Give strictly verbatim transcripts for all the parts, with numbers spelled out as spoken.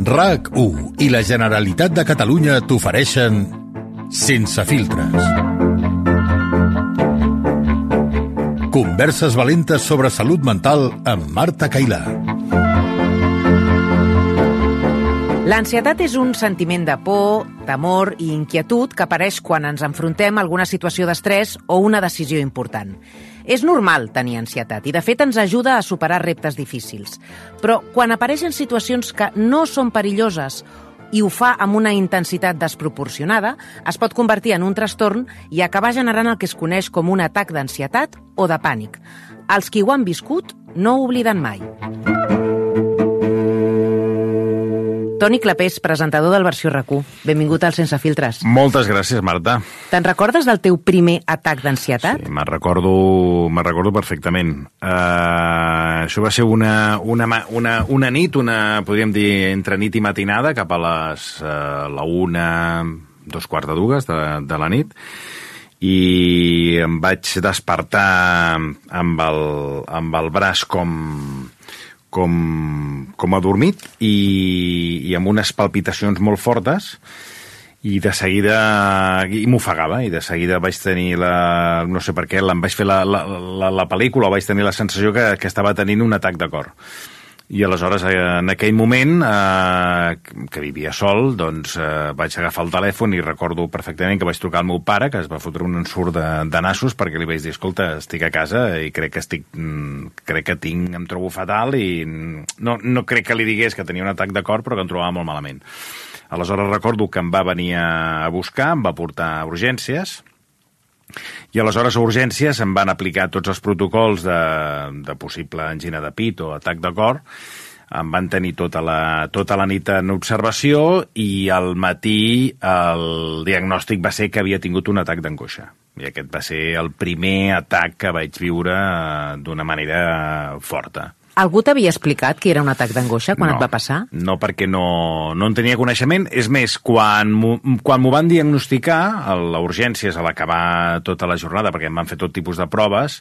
RAC u i la Generalitat de Catalunya t'ofereixen Sense filtres. Converses valentes sobre salut mental amb Marta Cailà. L'ansietat és un sentiment de por, temor i inquietud que apareix quan ens enfrontem a alguna situació d'estrès o una decisió important. És normal tenir ansietat i, de fet, ens ajuda a superar reptes difícils. Però quan apareixen situacions que no són perilloses i ho fa amb una intensitat desproporcionada, es pot convertir en un trastorn i acabar generant el que es coneix com un atac d'ansietat o de pànic. Els qui ho han viscut no ho obliden mai. Toni Clapés, presentador del Versió RAC u. Benvingut al Sense filtres. Moltes gràcies, Marta. Te'n recordes del teu primer atac d'ansietat? Sí, me'n recordo, me'n recordo perfectament. Uh, això va ser una, una, una, una nit, una, podríem dir, entre nit i matinada, cap a les uh, la una, dos quarts de dues de, de la nit, i em vaig despertar amb el, amb el braç com... Com, com adormit i, i amb unes palpitacions molt fortes i de seguida i m'ofegava i de seguida vaig tenir la, no sé per què, em vaig fer la, la, la, la pel·lícula, vaig tenir la sensació que, que estava tenint un atac de cor. I aleshores, en aquell moment, eh, que vivia sol, doncs eh, vaig agafar el telèfon i recordo perfectament que vaig trucar al meu pare, que es va fotre un ensurt de, de nassos, perquè li vaig dir, escolta, estic a casa i crec que estic, crec que tinc, em trobo fatal i no, no crec que li digués que tenia un atac de cor, però que em trobava molt malament. Aleshores recordo que em va venir a buscar, em va portar a urgències, i aleshores a urgències em van aplicar tots els protocols de, de possible angina de pit o atac de cor. Em van tenir tota la, tota la nit en observació i al matí el diagnòstic va ser que havia tingut un atac d'angoixa. I aquest va ser el primer atac que vaig viure d'una manera forta. Algú t'havia explicat que era un atac d'angoixa quan no, et va passar? No, perquè no, no en tenia coneixement. És més, quan m'ho van diagnosticar a l'urgències a l'acabar tota la jornada, perquè em van fer tot tipus de proves,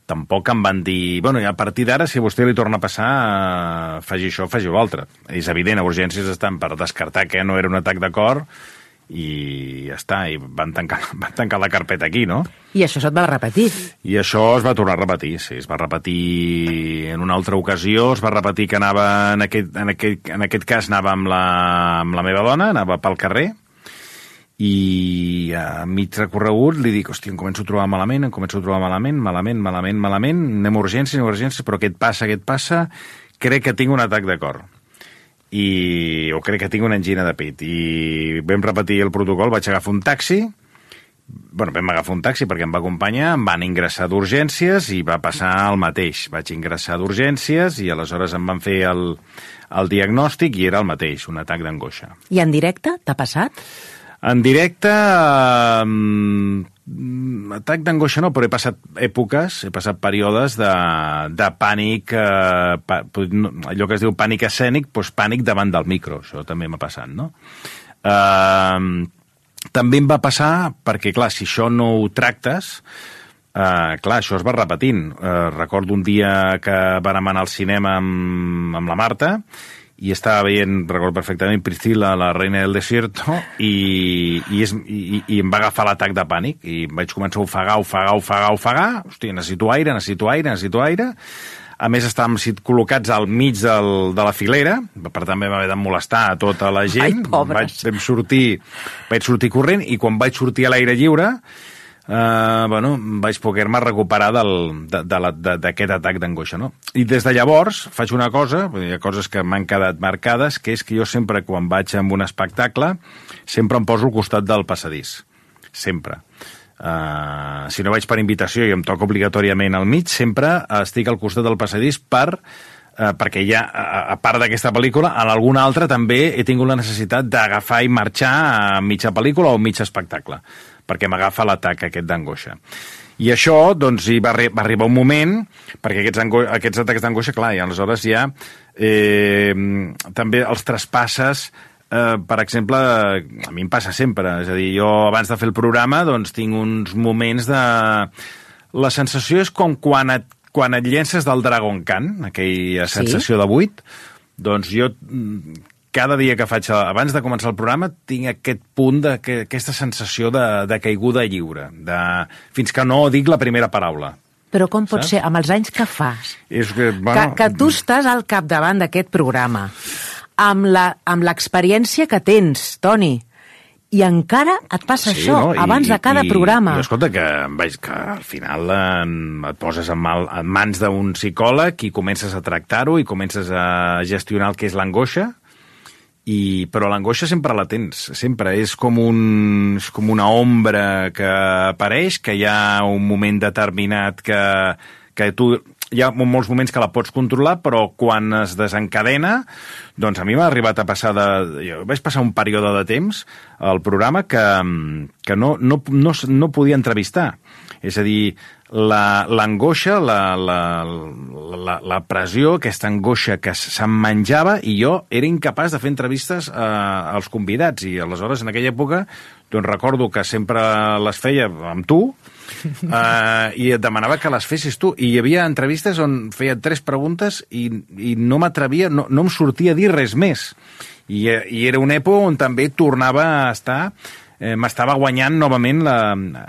tampoc em van dir... Bueno, a partir d'ara, si a vostè li torna a passar, faci això, faci l'altre. És evident, a urgències estan per descartar que no era un atac de cor i ja està, i van tancar, van tancar la carpeta aquí, no? I això se't va repetir? I això es va tornar a repetir, sí, es va repetir en una altra ocasió, es va repetir que anava, en aquest, en aquest, en aquest cas anava amb la, amb la meva dona, anava pel carrer, i a mig recorregut li dic, hòstia, em començo a trobar malament, em començo a trobar malament, malament, malament, malament, anem a urgències, anem a urgències, però què et passa, què et passa? Crec que tinc un atac de cor. I o crec que tinc una angina de pit i vam repetir el protocol, vaig agafar un taxi, bueno, vam agafar un taxi perquè em va acompanyar, em van ingressar d'urgències i va passar el mateix, vaig ingressar d'urgències i aleshores em van fer el, el diagnòstic i era el mateix, un atac d'angoixa. I en directe t'ha passat? En directe, eh, atac d'angoixa no, però he passat èpoques, he passat períodes de, de pànic, eh, pa, allò que es diu pànic escènic, doncs pànic davant del micro, això també m'ha passat, no? Eh, també em va passar, perquè clar, si això no ho tractes, eh, clar, això es va repetint. Eh, recordo un dia que vàrem anar al cinema amb, amb la Marta, i estava veient, recordo perfectament, Priscila, la reina del desierto, i, i, és, i, i em va agafar l'atac de pànic, i vaig començar a ofegar, ofegar, ofegar, ofegar, hòstia, necessito aire, necessito aire, necessito aire. A més, estàvem col·locats al mig del, de la filera, per tant vam haver de molestar a tota la gent. Ai, pobres. Vaig, vam sortir, vaig sortir corrent, i quan vaig sortir a l'aire lliure, Uh, bueno, vaig poder-me recuperar d'aquest atac d'angoixa, no? I des de llavors faig una cosa, hi ha coses que m'han quedat marcades, que és que jo sempre, quan vaig a un espectacle, sempre em poso al costat del passadís. Sempre. Uh, si no vaig per invitació i em toca obligatòriament al mig, sempre estic al costat del passadís per... Uh, perquè ja, a, a part d'aquesta pel·lícula, en alguna altra també he tingut la necessitat d'agafar i marxar a mitja pel·lícula o mig espectacle, perquè m'agafa l'atac aquest d'angoixa. I això, doncs, hi va, va arribar un moment, perquè aquests, aquests atacs d'angoixa, clar, i aleshores ja eh, també els traspasses, eh, per exemple, a mi em passa sempre, és a dir, jo abans de fer el programa, doncs, tinc uns moments de... La sensació és com quan et quan et llences del Dragon Khan, aquella sensació sí? de buit, doncs jo cada dia que faig, abans de començar el programa, tinc aquest punt, de, que, aquesta sensació de, de caiguda lliure, de, fins que no dic la primera paraula. Però com pot Saps? ser, amb els anys que fas, És que, bueno, que, que tu estàs al capdavant d'aquest programa, amb la, amb l'experiència que tens, Toni, i encara et passa sí, això, no? I, abans de cada i, programa. I escolta, que, veig que al final eh, et poses en, mal, en mans d'un psicòleg i comences a tractar-ho i comences a gestionar el que és l'angoixa, I, però l'angoixa sempre la tens, sempre. És com, un, és com una ombra que apareix, que hi ha un moment determinat que, que tu... Hi ha molts moments que la pots controlar, però quan es desencadena, doncs a mi m'ha arribat a passar de... Jo vaig passar un període de temps al programa que, que no, no, no, no podia entrevistar. És a dir, l'angoixa, la, la, la, la, la pressió, aquesta angoixa que se'm menjava, i jo era incapaç de fer entrevistes eh, als convidats. I aleshores, en aquella època, doncs recordo que sempre les feia amb tu, Uh, i et demanava que les fessis tu, i hi havia entrevistes on feia tres preguntes i, i no m'atrevia, no, no em sortia a dir res més, i, i era una època on també tornava a estar, eh, m'estava guanyant novament la,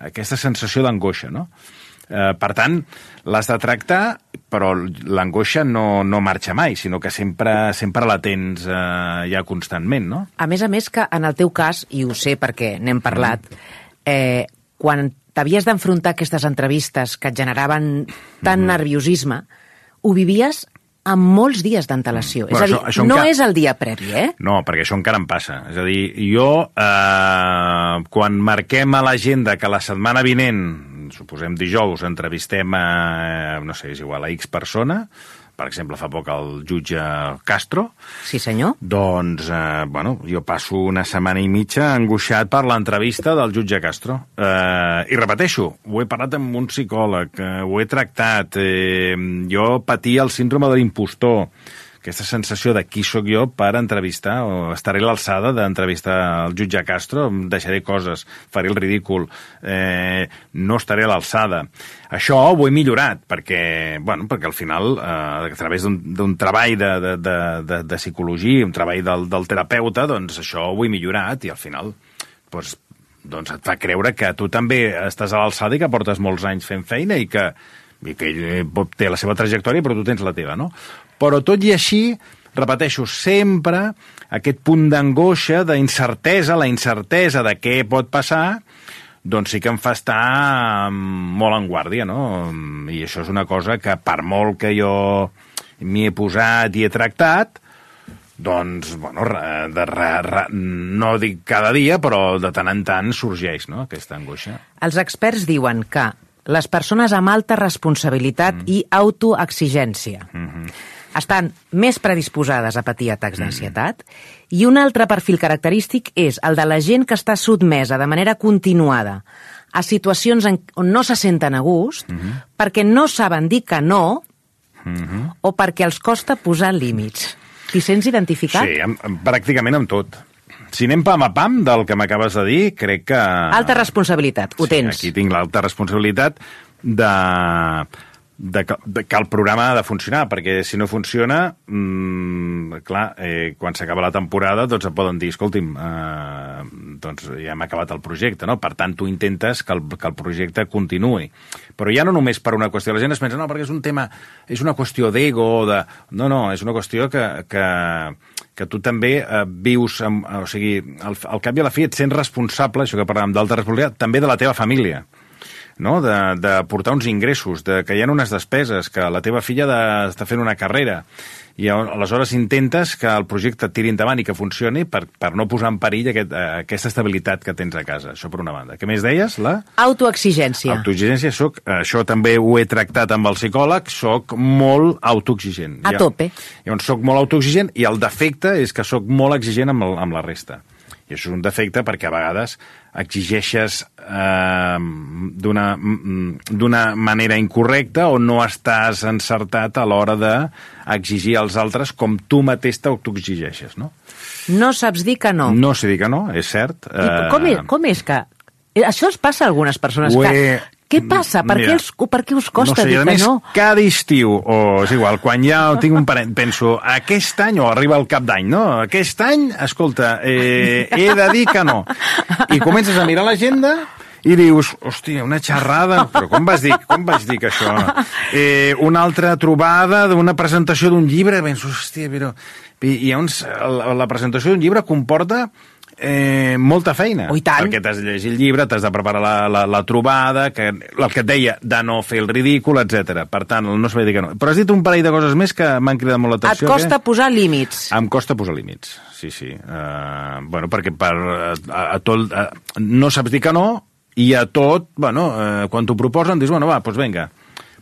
aquesta sensació d'angoixa, no? Uh, per tant, l'has de tractar, però l'angoixa no, no marxa mai, sinó que sempre, sempre la tens uh, ja constantment, no? A més a més que en el teu cas, i ho sé perquè n'hem parlat, eh, quan t'havies d'enfrontar aquestes entrevistes que et generaven tant mm-hmm. nerviosisme, ho vivies amb molts dies d'antelació. Mm. És a dir, això, això no encara... és el dia previ, eh? No, perquè això encara em passa. És a dir, jo, eh, quan marquem a l'agenda que la setmana vinent, suposem dijous, entrevistem a, no sé, és igual, a X persona, per exemple, fa poc el jutge Castro. Sí, senyor. Doncs, eh, bueno, jo passo una setmana i mitja angoixat per l'entrevista del jutge Castro. Eh, I repeteixo, ho he parlat amb un psicòleg, eh, ho he tractat, eh, jo patia el síndrome de l'impostor, aquesta sensació de qui sóc jo per entrevistar, o estaré a l'alçada d'entrevistar el jutge Castro, em deixaré coses, faré el ridícul, eh, no estaré a l'alçada. Això ho he millorat, perquè, bueno, perquè al final, eh, a través d'un treball de, de, de, de, de psicologia, un treball del, del terapeuta, doncs això ho he millorat, i al final doncs, doncs et fa creure que tu també estàs a l'alçada i que portes molts anys fent feina i que, i que ell té la seva trajectòria, però tu tens la teva, no? Però tot i així, repeteixo, sempre aquest punt d'angoixa, d'incertesa, la incertesa de què pot passar, doncs sí que em fa estar molt en guàrdia, no? I això és una cosa que, per molt que jo m'hi he posat i he tractat, doncs, bueno, de, re, re, no dic cada dia, però de tant en tant sorgeix, no?, aquesta angoixa. Els experts diuen que les persones amb alta responsabilitat mm. i autoexigència mm-hmm. estan més predisposades a patir atacs d'ansietat, mm. i un altre perfil característic és el de la gent que està sotmesa de manera continuada a situacions en, on no se senten a gust, mm-hmm. perquè no saben dir que no, mm-hmm. o perquè els costa posar límits. T'hi sents identificat? Sí, amb, amb, pràcticament amb tot. Si anem pam a pam del que m'acabes de dir, crec que... Alta responsabilitat, ho sí, tens. Aquí tinc l'alta responsabilitat de... De que, de que el programa ha de funcionar, perquè si no funciona, mmm, clar, eh, quan s'acaba la temporada, doncs et poden dir, escolti'm, eh, doncs ja hem acabat el projecte, no? Per tant, tu intentes que el, que el projecte continuï. Però ja no només per una qüestió, la gent es pensa, no, perquè és un tema, és una qüestió d'ego, de... no, no, és una qüestió que, que, que tu també eh, vius, amb, o sigui, al, al cap i a la fi et sents responsable, això que parlàvem d'alta responsabilitat, també de la teva família. No? De, de portar uns ingressos, de que hi ha unes despeses, que la teva filla de, està fent una carrera, i aleshores intentes que el projecte tiri endavant i que funcioni per, per no posar en perill aquest, aquesta estabilitat que tens a casa. Això per una banda. Què més deies? La... Autoexigència. Autoexigència. Soc, això també ho he tractat amb el psicòleg, soc molt autoexigent. A tope. Llavors soc molt autoexigent i el defecte és que soc molt exigent amb, el, amb la resta. I això és un defecte perquè a vegades exigeixes eh, d'una d'una manera incorrecta o no estàs encertat a l'hora d'exigir als altres com tu mateix t'autoexigeixes, no? No saps dir que no. No sé dir que no, és cert. I com, és, com és que... Això es passa a algunes persones, he... que, Què passa? Per, Mira, què, els, per què us costa no sé, dir a que més, no? cada estiu, o és igual, quan ja tinc un parent, penso, aquest any, o arriba el cap d'any, no? Aquest any, escolta, eh, he de dir que no. I comences a mirar l'agenda i dius, hòstia, una xerrada, però com vas dir, com vaig dir que això? Eh, una altra trobada d'una presentació d'un llibre, penso, hòstia, però... I, i llavors, la, la presentació d'un llibre comporta eh, molta feina. Oh, i tant. Perquè t'has de llegir el llibre, t'has de preparar la, la, la trobada, que, el que et deia, de no fer el ridícul, etcètera. Per tant, no es va dir que no. Però has dit un parell de coses més que m'han cridat molt l'atenció. Et costa que... posar límits. Em costa posar límits, sí, sí. Uh, bueno, perquè per, a, a tot, a, no saps dir que no, i a tot, bueno, uh, quan t'ho proposen, dius, bueno, va, doncs vinga,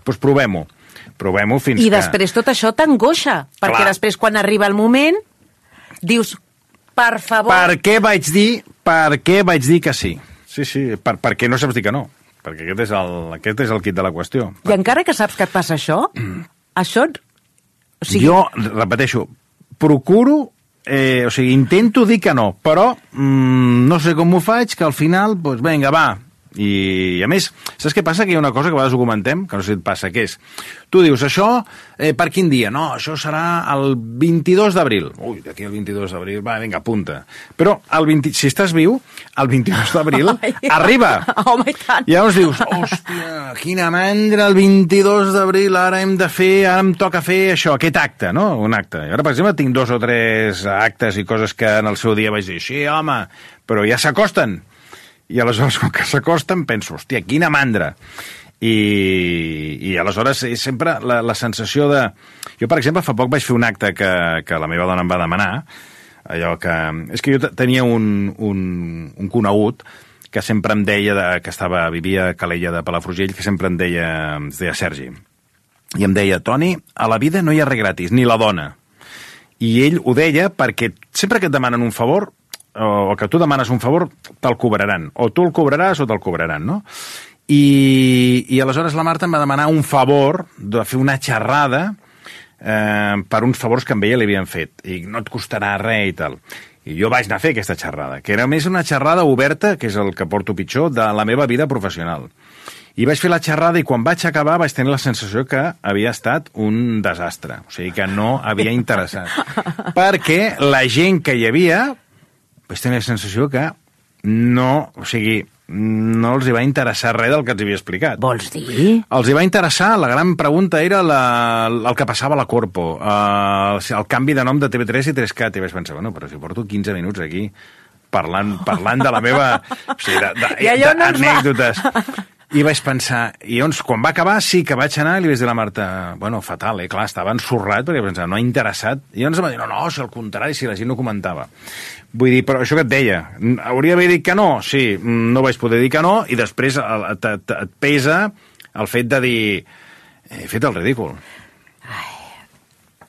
doncs provem-ho. Provem-ho fins I que... després tot això t'angoixa, perquè Clar. després quan arriba el moment dius, per favor... Per què vaig dir, per què vaig dir que sí? Sí, sí, per, perquè no saps dir que no. Perquè aquest és el, aquest és el quid de la qüestió. I encara que saps que et passa això, això... O sigui... Jo, repeteixo, procuro, eh, o sigui, intento dir que no, però mm, no sé com ho faig, que al final, doncs vinga, va. I, a més, saps què passa? Que hi ha una cosa que a vegades ho comentem, que no sé si et passa, que és, tu dius, això, eh, per quin dia? No, això serà el vint-i-dos d'abril. Ui, d'aquí al vint-i-dos d'abril, va, vinga, apunta. Però, el vint, si estàs viu, el vint-i-dos d'abril arriba. Home, i tant. I llavors dius, hòstia, quina mandra, el vint-i-dos d'abril, ara hem de fer, ara em toca fer això, aquest acte, no? Un acte. I ara, per exemple, tinc dos o tres actes i coses que en el seu dia vaig dir, sí, home, però ja s'acosten. I aleshores, com que s'acosten, penso, hòstia, quina mandra. I, i aleshores és sempre la, la sensació de... Jo, per exemple, fa poc vaig fer un acte que, que la meva dona em va demanar, allò que... És que jo tenia un, un, un conegut que sempre em deia, de, que estava, vivia a Calella de Palafrugell, que sempre em deia, es deia Sergi, i em deia, Toni, a la vida no hi ha res gratis, ni la dona. I ell ho deia perquè sempre que et demanen un favor, o que tu demanes un favor, te'l cobraran. O tu el cobraràs o te'l cobraran, no? I, i aleshores la Marta em va demanar un favor de fer una xerrada eh, per uns favors que amb ella li havien fet. I no et costarà res i tal. I jo vaig anar a fer aquesta xerrada, que era més una xerrada oberta, que és el que porto pitjor, de la meva vida professional. I vaig fer la xerrada i quan vaig acabar vaig tenir la sensació que havia estat un desastre. O sigui, que no havia interessat. Perquè la gent que hi havia... vaig tenir la sensació que no, o sigui, no els hi va interessar res del que els havia explicat. Vols dir? Els hi va interessar, la gran pregunta era la, el que passava a la Corpo, uh, el canvi de nom de T V tres i tres cat, i vaig pensar, bueno, però si porto quinze minuts aquí parlant, parlant de la meva... O sigui, d'anècdotes. No va... I vaig pensar, i llavors, quan va acabar, sí que vaig anar i li vaig dir a la Marta, bueno, fatal, eh? Clar, estava ensorrat, perquè pensava, no ha interessat. I llavors em va dir, no, no, si al contrari, si la gent no comentava. Vull dir, però això que et deia, hauria d'haver dit que no? Sí, no vaig poder dir que no, i després et pesa el fet de dir, he fet el ridícul. Ai.